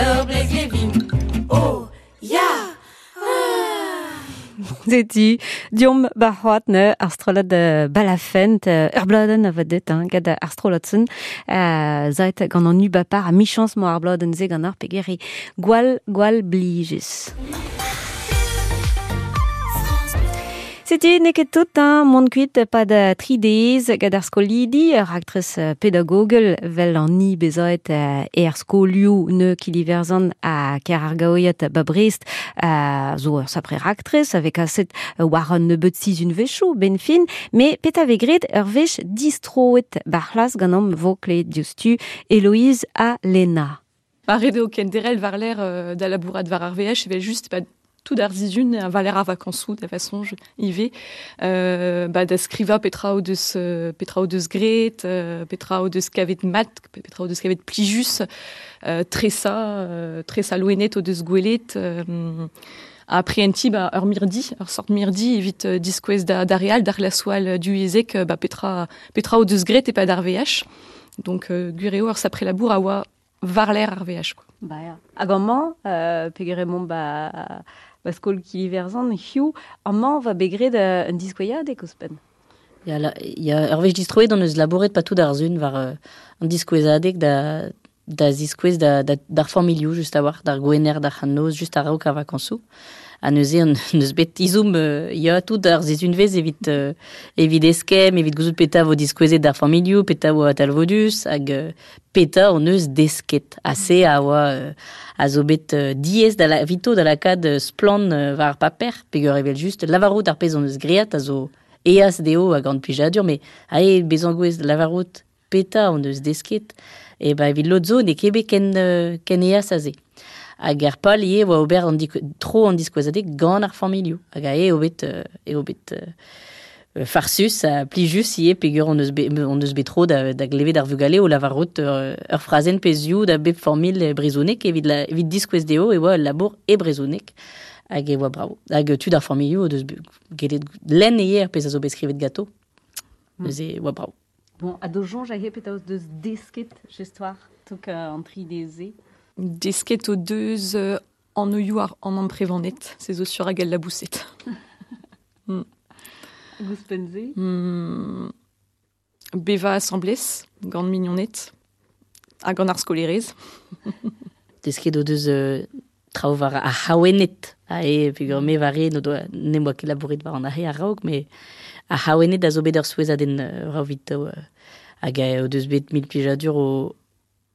ur bleiz glevin. Oh, ya! Ah! Setu, diomp ba c'hoat ne ar strollad balafent, ur bladenn a va det, hein, gant ar strollad sen, zait gant an ubapar a michans mo ar bladenn ze gant ar pegeri gwall, gwall blijez. Setu n'eo ket tout, hein, mont kuit pad tri deiz gant ar skolidi, ur raktres pedagogel vel an ni bezaet er skolioù ne kiliverzan a ker ar gaoiat ba Brest, zo ur sapre raktres avec kaset war un nebeut sizun vechoù ben fin, mais peta ve gret ur vech distroet bar c'hlas gant am vo kle diouzhtu Héloïse ha Lena. Ar ret eo kenderel war l'air da labourat war ar VH, evel just pa tout ar zizun a valer ar vakañsoù da façon ive ba da skriva petra o deus gret, petra o deus kavet mat, petra o deus kavet plijus, tresa loenet o deus gwelet, a prienti ba ur mirdi, ur sort mirdi evit diskouez da real, d'ar laswal du ezek, ba petra o deus gret e pa d'ar VH. Donc gwir eo ur sapre labour a oa varler ar VH quoi. Ba ya. Hag amañ, pegere mont ba skol kiliverzan, hiu, amañ va begret un diskouezadeg ouzhpenn. Ya, ya ur wech distroet on eus labouret pa tout ar zun war an diskouezadeg da ziskouez d'ar familhoù just a-walc'h, d'ar gwener, d'ar c'han-noz, just a-raok ar vakañsoù. Ha neuze an neus bet izoum ya tout ar zizunvez evit evit eskemm, evit gouzout peta vo diskouezet d'ar familhoù, peta vo atalvodus, hag peta on eus desket. Ha se a oa a zo bet diaes da la, vito da lakaat splann war ar paper, peogwir evel just lavarout ar pezh on eus great a zo eas dezho hag an plijadur, mais ae bezañ gouez lavarout peta on eus desket, e ba evit lod zo n'eo ket bet ken eas a se. Hag ar pal ivez oa ober an tro an diskouezadeg gant ar familhoù. Hag a eo bet farsus ha plijus ivez peogwir on eus bet tro da glevet ar vugale o lavarout ur frazenn pezhioù da bep familh brezhonek evit diskouez dezho e oa ul labour e brezhoneg. Hag e oa bravo. Hag tud ar familhoù o deus gellet lenn ivez ar pezh a zo bet skrivet ganto. Neuze e oa bravo. Bon, ha do soñj a petra deus desket jestoar tok an tri deze. Desket o deus an oioù ar an amprevanet, se zo sur hag al labouset. Ouzhpenn-se? Beva asamblez, gant mignoned, hag gant ar skolerez. Desket o deus traoù war ar c'haouenned. Ae, peogwir me war re, n'em boa ket labouret war an ahe a-raok, mais ar c'haouenned a zo bet ur souezhadenn raok evito. Hag o deus bet mil plijadur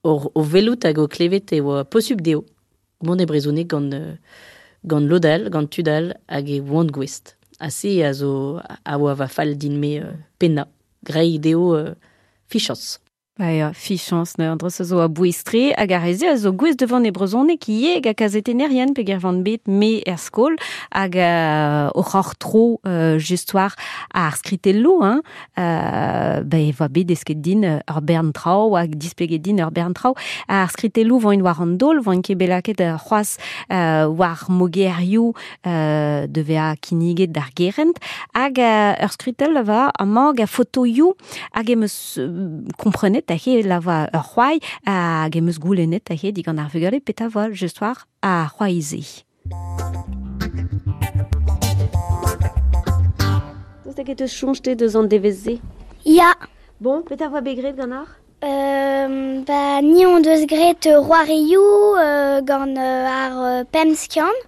o velout hag o klevet e oa posubl dezho. Mont e brezhoneg gant lod all, gant tud all, hag e oant gouest. Ha se a zo a oa va fall din-me pennañ. Grei dezho fichañs. Ba ya, fichañs, ne, an dra zo a bouez-tre hag ar reze a zo gouez devant e brezhoneg ivez hag a kazetennerien peogwir van bet me er skol hag o c'hoc'h tro just war ar skritelloù, hein, ba e voa bet desket din ur bern traoù hag displeget din ur bern traoù. Ar skritelloù voint war an daol, voint ket bet lakaet c'hoazh war mogerioù de vezañ kinniget d'ar gerent hag ur skritell va amañ hag a fotoioù hag em eus komprenet a he lava ur c'hoai hag em eus goulennet a he digant ar vugale petra voa just war ar c'hoai-se. Daoust hag e teus soñj-te deus an devezh-se? Ya. Bon, petra voa bet graet ganeoc'h? Ba ni on deus graet c'hoarioù gant ar pemp skiant.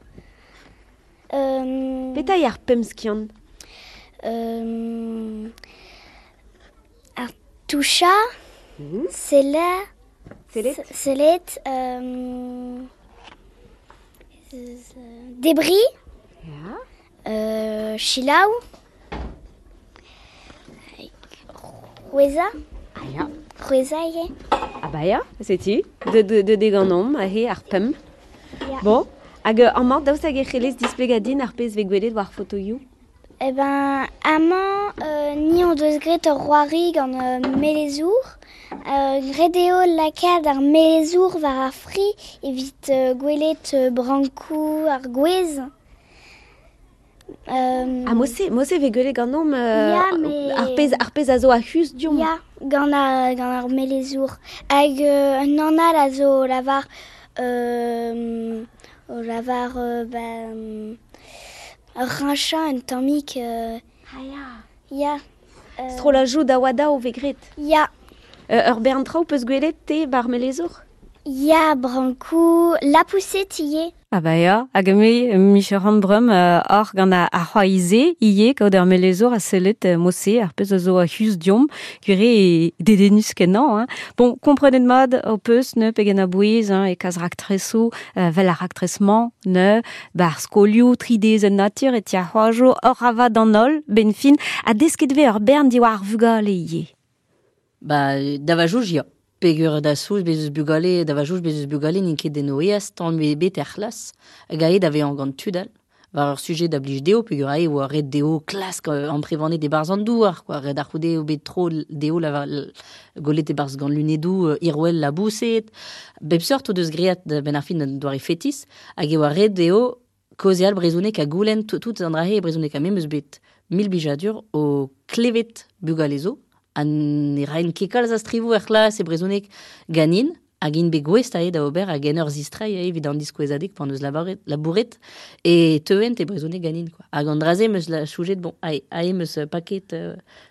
Petra eo ar pemp skiant? Ar touchañ, sellet, debri, selaou, c'hwezhañ. Ah ya. C'hwezhañ ivez. Ah ba ya, setu, de deganomp aze ar pemp. Ya. Bon, hag amañ daoust hag e c'hellez displegañ din ar pezh vez gwelet war fotoioù? Eh ben, amañ, ni on deus graet ur c'hoari gant melezour. Graet eo lakaat ar melezour war ar fri evit gwelet brankoù ar gwez. Ah, mose vez gwelet ganeomp Ya, mais ar pezh a zo a-huz diomp. Ya, gant ar melezour. Hag un anal a zo lavar o lavar Ur un tammig... Ah ya. Ya. Strollajoù da oa daou vez graet. Ya. Ur bern traoù peus gwelet te bar melezour? Ya, brankoù, lapoused ivez. Ah ba ya, hag me micheran breum or gant ar c'hoaize ivez kaout ur melezour a sellet mose ar pezh a zo a huz diomp gwire e dedennus kenañ. Hein. Bon, komprenet mat ho peus ne pegen a-bouez hein, e kaz raktresoù vel ar raktres-mañ ne bar skolioù tridez en natur e ti ar c'hoajo ur avat an holl ben fin ha desket vez ur bern diwar ar vugale ivez. Ba, davajouj ya. Pegur da souz bez eus bugale, da vajouz bez eus bugale n'int ket en oeaz tamm bet er c'hlas. Hag aet da vezañ gant tud all. War ur sujet da blij dezho, pegur ae oa ret dezho klask amprevanet e-barzh an douar, quoi. Ret ar c'houde eo bet tro dezho golet e-barzh gant lunedoù irwel laboused. Bep seurt o deus great ben ar fin an doare fetis, hag e oa ret dezho kaozeal brezhoneg ha goulenn tout an dra-se e brezhoneg ha me 'm eus bet mil blijadur o klevet bugale zo. Ha ne raen ket kalz a strivoù er c'hlas e brezhoneg ganin, hag int bet gouest ae da ober hag en ur zistreiñ ae evit an diskouezadeg pan eus labouret, e teuent e brezhoneg ganin, quoi. Hag an dra-se 'm eus soñjet, bon, ae, ae 'm eus paket,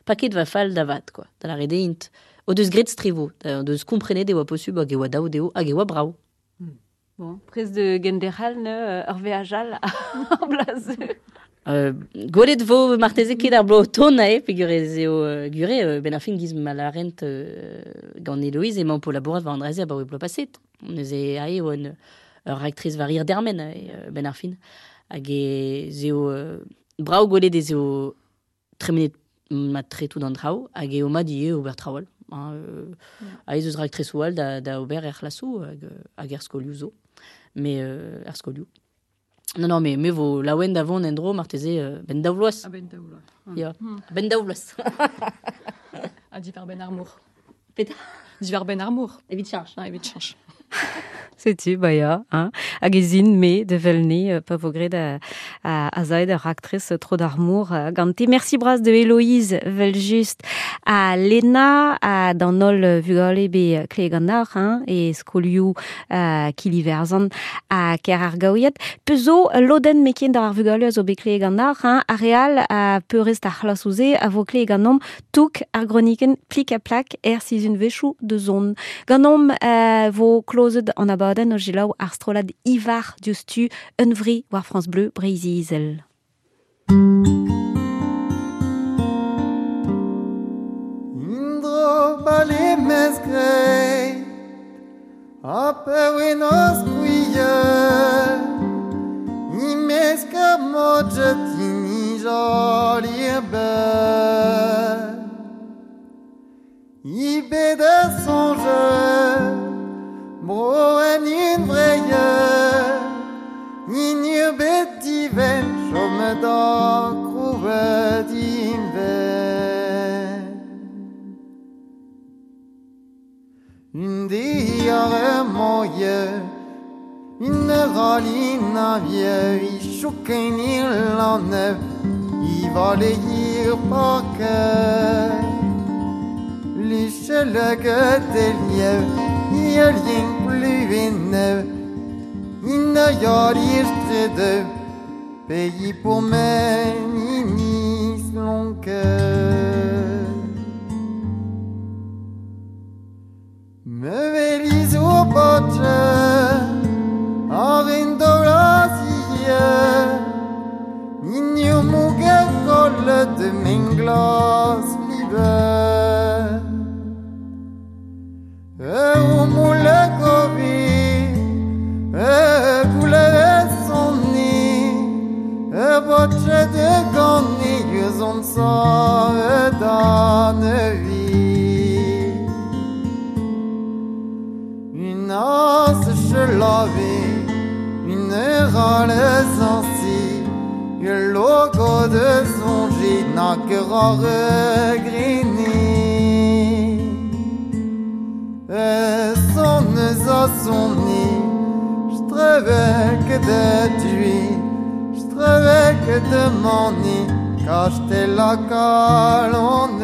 paket va fall da vat, quoi. Da lâret eo int o deus graet strivoù, o deus komprenet e oa posubl hag e oa dav dezho, hag e oa brav. Bon, prest de genderc'hel ne ur veaj all ar bloaz. Gwelet vo marteze ket ar bloaz o tont ae, peogwir ez eo gure, ben ar fin giz ma larent gant Eloïse emañ po labourat war an dra-se abaoe bloaz paset. Neuze ae eo ur raktres war hir dermen ae, ben ar fin. Hag ez eo brav gwelet ez eo tremenet mat-tre tout an traoù, hag eo mat ivez ober traoù all. Hein, ae ez eus raktresoù all da ober er c'hlasoù hag er skolioù zo. Mais er skolioù. Non, non, mais me vo laouen da vont en-dro marteze ben daou vloaz. Ah, ben daou vloaz. Ya, ben daou vloaz. Ha diwar ben ar mor. Petra? Diwar ben ar mor. Evit cheñch. Ah, evit cheñch. Setu, ba ya, hein. Hag ez int me de velne pa vo graet a zaet ur raktres tro d'ar mor gante. Merci bras de Héloïse vel-just a Lena a d'an holl vugale be kle gant ar, hein, e skolioù Kiliverzan a ker ar gaouiad. Pezo lodenn mekien d'ar vugale a zo be kle gant ar, hein, ar real a peurrest ar c'hlasouze a vo kle ganomp touk ar groniken plik a plak er sizun vechoù de zon. Ganomp vo klozet an abadenn o jilaou ar strollad Ivar diouzhtu unvri war France Bleu Breizh-Izel. Indro bale mezgreit a pewenos kuie Imeska mojet ini jolir be Ibe de sonje Bro en in vreie Inir bet diven Chome da krouet inven Une diare moie Une ralina vie I chouken il en neuf I va les ir par cœur Lychelege deliev Jelging pluinev Inne jarir tredeu Pays pour meninis lonke Me velis o boche Arin dorasie Ninio muge kolle de menglas libe E moule govi E goule sonni E boche de gani Yuzon sa e danevi Une as chelavi Une râle sensi Une logo de sonji N'a que rare grini E sonnes a sonni Strevek de tui Strevek de mani Kachte la kalonenine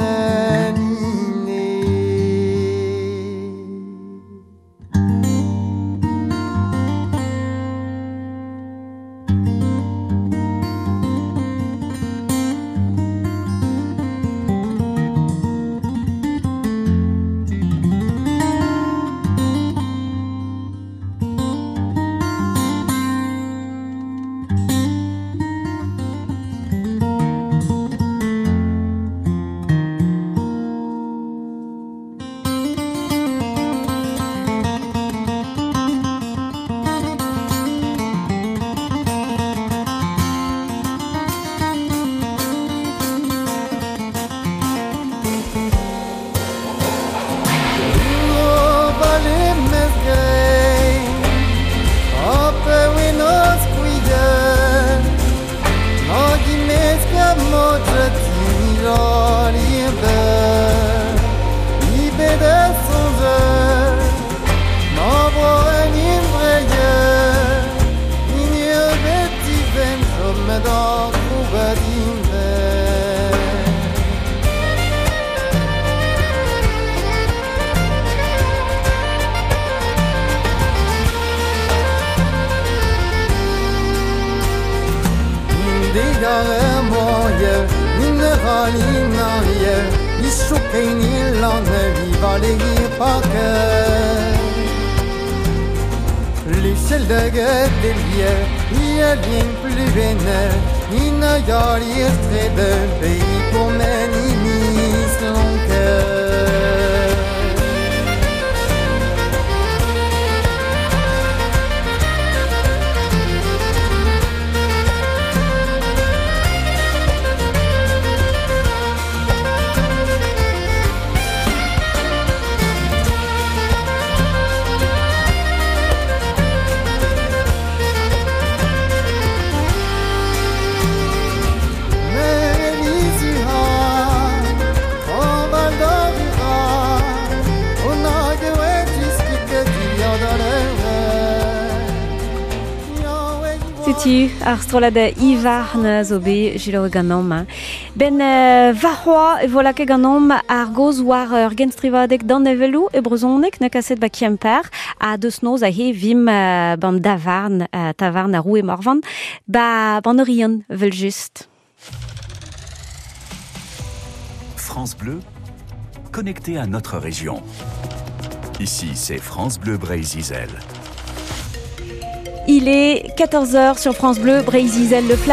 L'échelle de Guedellier, il vient plus vénère, il n'a de pays pour Méninis Setu ar strollad Ivar zo bet jilaoue ganeomp. Ben varc'hoa e vo lakaet ganeomp ar goz war ur genstrivadeg d'an evelou e brezhoneg na kaset ba Kemper a deus noz a he vim ban davarn, tavarn a roue Morvan ba ban Orion vel just. France Bleu, connecté à notre région. Ici, c'est France Bleu Breizh-Izel. Il est 14h sur France Bleu, Breizh-Izel, le flash.